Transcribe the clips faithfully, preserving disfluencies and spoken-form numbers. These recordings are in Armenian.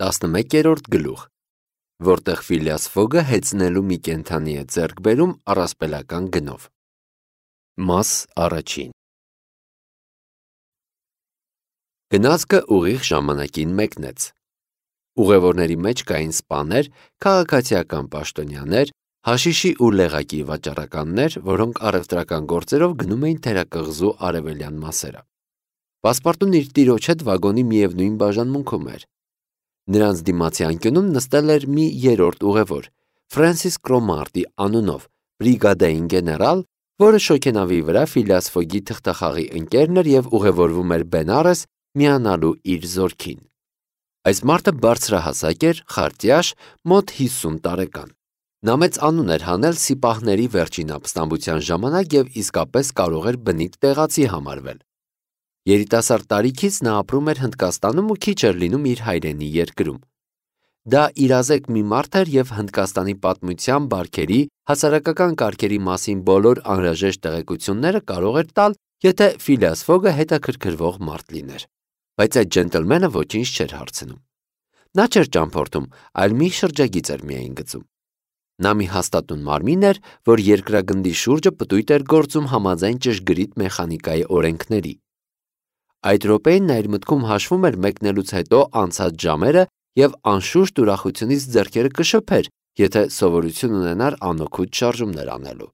տասնմեկերորդ գլուխ, որտեղ Ֆիլիաս Ֆոգը հեծնելու մի կենդանի է ձեռք բերում առասպելական գնով։ Մաս առաջին։ Գնացքը ուղիղ ժամանակին մեկնեց։ Ուղևորների մեջ կային սպաներ, քաղաքացիական պաշտոնյաներ, հաշիշի ու լեղակի վաճառականներ, որոնք առևտրական գործերով գնում էին թերակղզու արևելյան մասերը։ Պասպարտուն իր տիրոջ հետ վագոնի միևնույն բաժանմունքում էր։ Նրանց դիմացի անկյունում նստել էր մի երրորդ ուղևոր, Ֆրենսիս Կրոմարտի անունով, բրիգադային գեներալ, որը շոգենավի վրա Ֆիլիաս Ֆոգի թղթախաղի ընկերն էր և ուղևորվում էր Բենարես միանալու իր զորքին։ Այս մարդը բարձրահասակ էր, խարտյաշ, մոտ հիսուն տարեկան։ Նա մեծ անուն էր հանել սիպահների վերջին ապստամբության ժամանակ և իսկապես կարող էր բնիկ տեղացի համարվել։ Երիտասարդ տարիքից նա ապրում էր Հնդկաստանում ու քիչ էր լինում իր հայրենի երկրում։ Դա իրազեկ մի մարդ էր և Հնդկաստանի պատմության, բարքերի, հասարակական կարգերի մասին բոլոր անհրաժեշտ տեղեկությունները կարող էր տալ, եթե Ֆիլիաս Ֆոգը հետաքրքրվող մարդ լիներ։ Բայց այդ ջենտլմենը ոչինչ չէր հարցնում։ Նա չէր ճամփորդում, այլ մի շրջագիծ էր միայն գծում։ Նա մի հաստատուն մարմին էր, որ երկրագնդի շուրջը պտույտ էր գործում համաձայն ճշգրիտ մեխանիկայի օրենքների։ Այդ րոպեին նա իր մտքում հաշվում էր մեկնելուց հետո անցած ժամերը և անշուշտ ուրախությունից ձեռքերը կշփեր, եթե սովորություն ունենար անօգուտ շարժումներ անելու։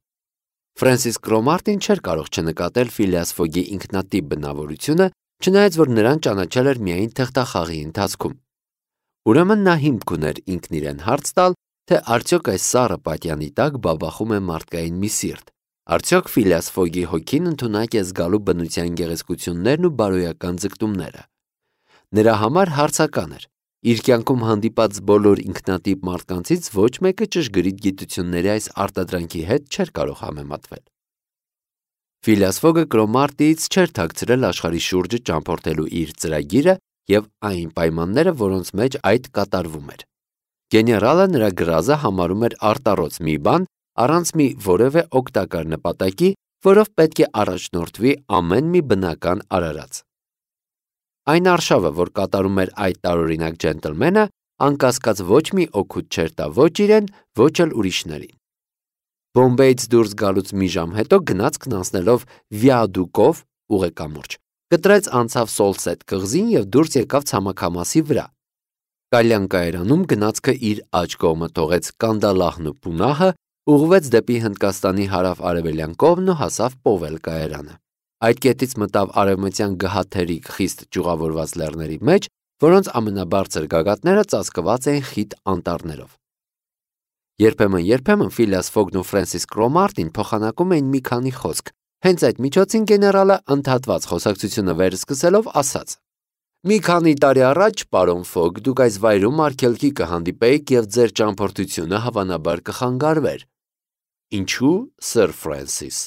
Ֆրենսիս Կրոմարտին չէր կարող չնկատել Ֆիլիաս Ֆոգի ինքնատիպ բնավորությունը, չնայած որ նրան ճանաչել էր միայն թղթախաղի ընթացքում։ Ուրեմն նա հիմք ուներ ինքն իրեն հարց տալ, թե արդյոք այս սառը պատյանի տակ բաբախում է մարդկային մի սիրտ, արդյոք Ֆիլիաս Ֆոգի հոգին ընդունակ է զգալու բնության գեղեցկություններն ու բարոյական ձգտումները։ Նրա համար հարցական էր։ Իր կյանքում հանդիպած բոլոր ինքնատիպ մարդկանցից ոչ մեկը ճշգրիտ գիտությունների այս արտադրանքի հետ չէր կարող համեմատվել։ Ֆիլիաս Ֆոգը Կրոմարտիից չէր թաքցրել աշխարհի շուրջը ճամփորդելու իր ծրագիրը և այն պայմանները, որոնց մեջ այդ կատարվում էր։ Գեներալը նրա գրազը համարում էր արտառոց մի բան, առանց մի որևէ օգտակար նպատակի, որով պետք է առաջնորդվի ամեն մի բնական արարած։ Այն արշավը, որ կատարում էր այդ տարօրինակ ջենտլմենը, անկասկած ոչ մի օգուտ չէր տա ոչ իրեն, ոչ էլ ուրիշներին։ Բոմբեյից դուրս գալուց մի ժամ հետո գնացքն անցնելով վիադուկով ուղեկամուրջ, կտրեց անցավ Սոլսետ կղզին և դուրս եկավ ցամաքամասի վրա։ Կալյան կայարանում գնացքը իր աջ կողմը թողեց Կանդալահն ու Պունահը, ուղղվեց դեպի Հնդկաստանի հարավ-արևելյան կողմն ու հասավ Պովել կայարանը։ Այդ կետից մտավ արևմտյան գհաթերիկ խիստ ճյուղավորված լեռների մեջ, որոնց ամենաբարձր գագաթները ծածկված էին խիտ անտառներով։ Երբեմն-երբեմն Ֆիլիաս Ֆոգն ու Ֆրենսիս Կրոմարտին փոխանակում էին մի քանի խոսք։ Հենց այդ միջոցին գեներալը ընդհատված խոսակցությունը վերսկսելով ասաց. «Մի քանի տարի առաջ, պարոն Ֆոգ, դուք այս վայրում արգելքի կհանդիպեիք և ձեր ճամփորդությունը հավանաբար կխանգարվեր»։ Ինչու, Սըր Ֆրենսիս։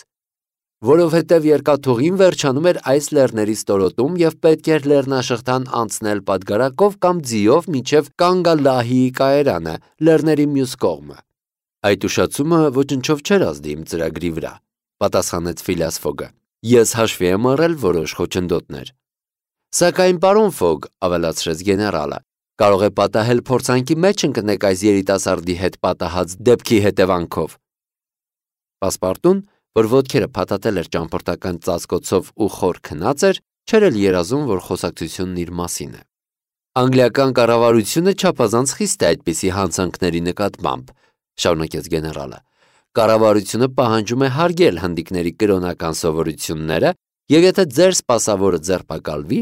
Որովհետև երկաթուղին վերջանում էր այս լեռների ստորոտում և պետք էր լեռնաշղթան անցնել պատգարակով կամ ձիով մինչև Կանգալահիի կայարանը, լեռների մյուս կողմը։ Այդ ուշացումը ոչնչով չէր ազդի իմ ծրագրի վրա, պատասխանեց Ֆիլիաս Ֆոգը։ Ես հաշվի եմ առել որոշ խոչընդոտներ։ Սակայն, պարոն Ֆոգ, ավելացրեց գեներալը, կարող է պատահել փորձանքի մեջ ընկնեք այս երիտասարդի հետ պատահած դեպքի հետևանքով։ Պասպարտուն, որ ոտքերը փաթաթել էր ճամփորդական ծածկոցով ու խոր քնած էր, չէր էլ երազում, որ խոսակցությունն իր մասին է։ Անգլիական կառավարությունը չափազանց խիստ է այդպիսի հանցանքների նկատմամբ, շարունակեց գեներալը։ Կառավարությունը պահանջում է հարգել հնդիկների կրոնական սովորությունները, և եթե ձեր սպասավորը ձերբակալվի,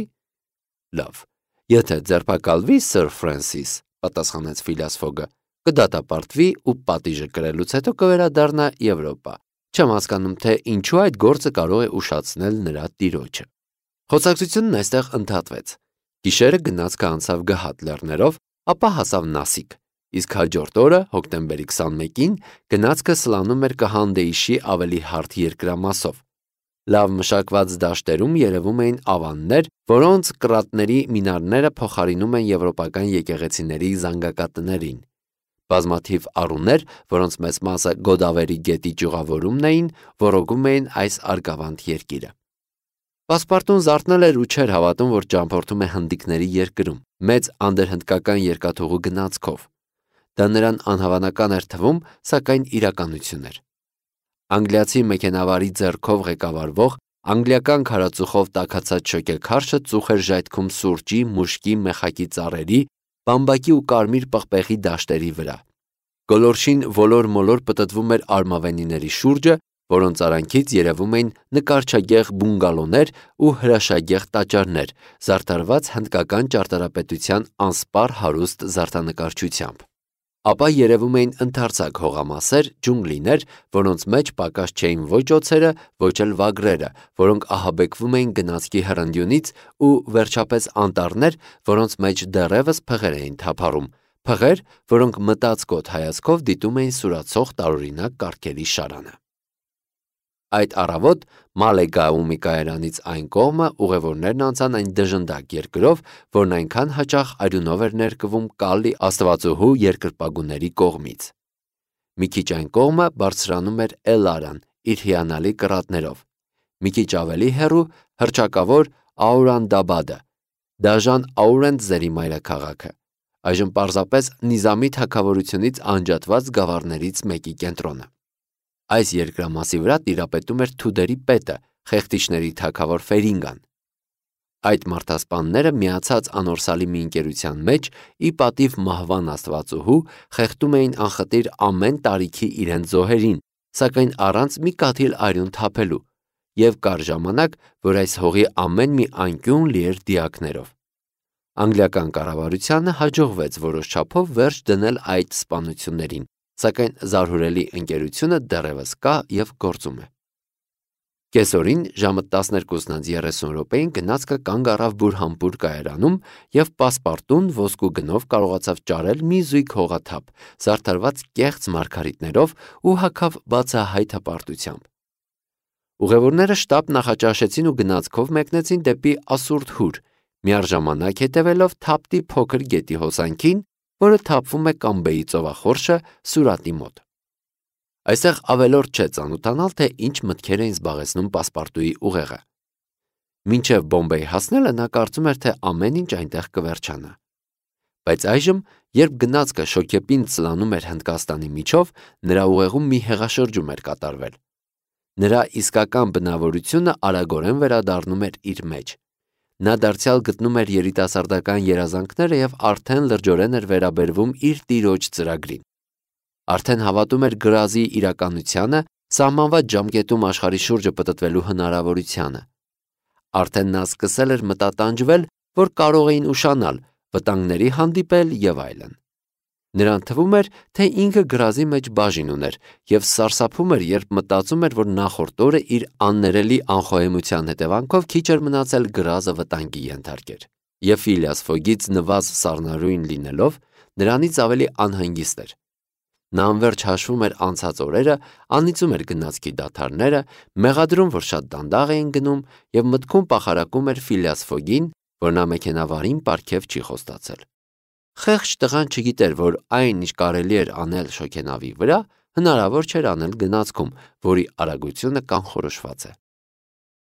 լավ, եթե ձերբակալվի, Սըր Ֆրենսիս, պատասխանեց Ֆիլիաս Ֆոգը, կդատապարտվի ու պատիժը կրելուց հետո կվերադառնա Եվրոպա։ Չեմ հասկանում, թե ինչու այդ գործը կարող է ուշացնել նրա տիրոջը։ Խոսակցությունն այստեղ ընդհատվեց։ Գիշերը գնացքը անցավ գհատ լեռներով, ապա հասավ Նասիկ, իսկ հաջորդ օրը, հոկտեմբերի քսանմեկին, գնացքը սլանում էր Կհանդեիշի ավելի հարթ երկրամասով։ Լավ մշակված դաշտերում երևում էին ավաններ, որոնց կռատների մինարները փոխարինում են եվրոպական եկեղեցիների զանգակատներին։ Բազմաթիվ առուներ, որոնց մեծ մասը Գոդավերի գետի ճյուղավորումն էին, ոռոգում էին այս արգավանդ երկիրը։ Պասպարտուն զարթնել էր ու չէր հավատում, որ ճամփորդում է հնդիկների երկրում։ մեծ անդրհնդկական երկաթուղու գնացքով։ Դա նրան անհավանական էր թվում, սակայն իրականություն էր։ Անգլիացի մեքենավարի ձեռքով ղեկավարվող անգլիական քարածուխով տաքացած շոկեքարշը ծուխ էր ժայթքում սուրճի, մուշկի, մեխակի ծառերի, բամբակի ու կարմիր պղպեղի դաշտերի վրա։ Գոլորշին ոլոր-մոլոր պտտվում էր արմավենիների շուրջը, որոնց արանքից երևում էին նկարչագեղ բունգալոներ ու հրաշագեղ տաճարներ, զարդարված հնդկական ճարտարապետության անսպառ հարուստ զարդանկարչությամբ։ Ապա երևում էին ընդարձակ հողամասեր, ջունգլիներ, որոնց մեջ պակաս չէին ոչ օձերը, ոչ էլ վագրերը, որոնք ահաբեկվում էին գնացքի հրնդյունից, ու վերջապես անտառներ, որոնց մեջ դեռևս փղեր էին թափառում, փղեր, որոնք մտածկոտ հայացքով դիտում էին սուրացող տարօրինակ կառքերի շարանը։ Այդ առավոտ Մալեգաումի կայարանից այն կողմը ուղևորներն անցան այն դժնդակ երկրով, որն այնքան հաճախ արյունով էր ներկվում Կալի աստվածուհու երկրպագուների կողմից։ Մի քիչ այն կողմը բարձրանում էր Էլարան իր հիանալի կռատներով, մի քիչ ավելի հեռու հռչակավոր Աուրանդաբադը, դաժան Աուրենտզերի մայրաքաղաքը, այժմ պարզապես Նիզամի թագավորությունից անջատված գավառներից մեկի կենտրոնը։ Այս երկրամասի վրա տիրապետում էր Թուդերի պետը, խեղտիչների թագավոր Ֆերինգան։ Այդ մարդասպանները միացած անորսալի մի ընկերության մեջ, ի պատիվ մահվան աստվածուհու, խեղդում էին անխտիր ամեն տարիքի իրենց զոհերին, սակայն առանց մի կաթիլ արյուն թափելու, եւ կար ժամանակ, որ այս հողի ամեն մի անկյուն լի էր դիակներով։ Անգլիական կառավարությանը հաջողվեց որոշ չափով վերջ դնել այդ սպանություններին, սակայն զարհուրելի ընկերությունը դեռևս կա եւ գործում է։ Կեսօրին ժամը տասներկուսն անց երեսուն րոպեին գնացքը կանգ առավ Բուրհանպուր կայարանում եւ պասպարտուն ոսկու գնով կարողացավ ճարել մի զույգ հողաթափ, զարդարված կեղծ մարգարիտներով ու հագավ բացահայտ հպարտությամբ։ Ուղևորները շտապ նախաճաշեցին ու գնացքով մեկնեցին դեպի Ասուրդ Հուր, միառժամանակ հետևելով Թապտի փոքր գետի հոսանքին, որը թափվում է Կամբեի ծովախորշը Սուրատի մոտ։ Այստեղ ավելորդ չէ ծանոթանալ, թե ինչ մտքեր էին զբաղեցնում պասպարտուի ուղեղը։ Մինչև Բոմբեյ հասնելը նա կարծում էր, թե ամեն ինչ այնտեղ կվերջանա։ Բայց այժմ, երբ գնացքը շոկեպինդ սլանում էր Հնդկաստանի միջով, նրա ուղեղում մի հեղաշրջում էր կատարվել։ Նրա իսկական բնավորությունը արագորեն վերադառնում էր իր մեջ։ Նա դարձյալ գտնում էր երիտասարդական երազանքները եւ արդեն լրջորեն էր վերաբերվում իր տիրոջ ծրագրին։ Արդեն հավատում էր գրազի իրականությանը, սահմանված ժամկետում աշխարհի շուրջը պտտվելու հնարավորությանը։ Արդեն նա սկսել էր մտատանջվել, որ կարող էին ուշանալ, վտանգների հանդիպել եւ այլն։ Նրան թվում էր, թե ինքը գրազի մեջ բաժին ուներ եւ սարսափում էր, երբ մտածում էր, որ նախորդ օրը իր աններելի անխոհեմության հետևանքով քիչ էր մնացել գրազը վտանգի ենթարկեր։ Եվ Ֆիլիաս Ֆոգից նվազ սառնարույն լինելով, նրանից ավելի անհանգիստ էր։ Նա անverջ հաշվում էր անցած օրերը, անիծում էր գնացքի դադարները, մեղադրում, որ շատ դանդաղ էին գնում եւ մտքում պախարակում էր Ֆիլիաս Ֆոգին, որ նա մեքենավարին պարգև չի խոստացել։ Խեղճ տղան չգիտեր, որ այն, ինչ կարելի էր անել շոգենավի վրա, հնարավոր չէր անել գնացքում, որի արագությունը կանխորոշված է։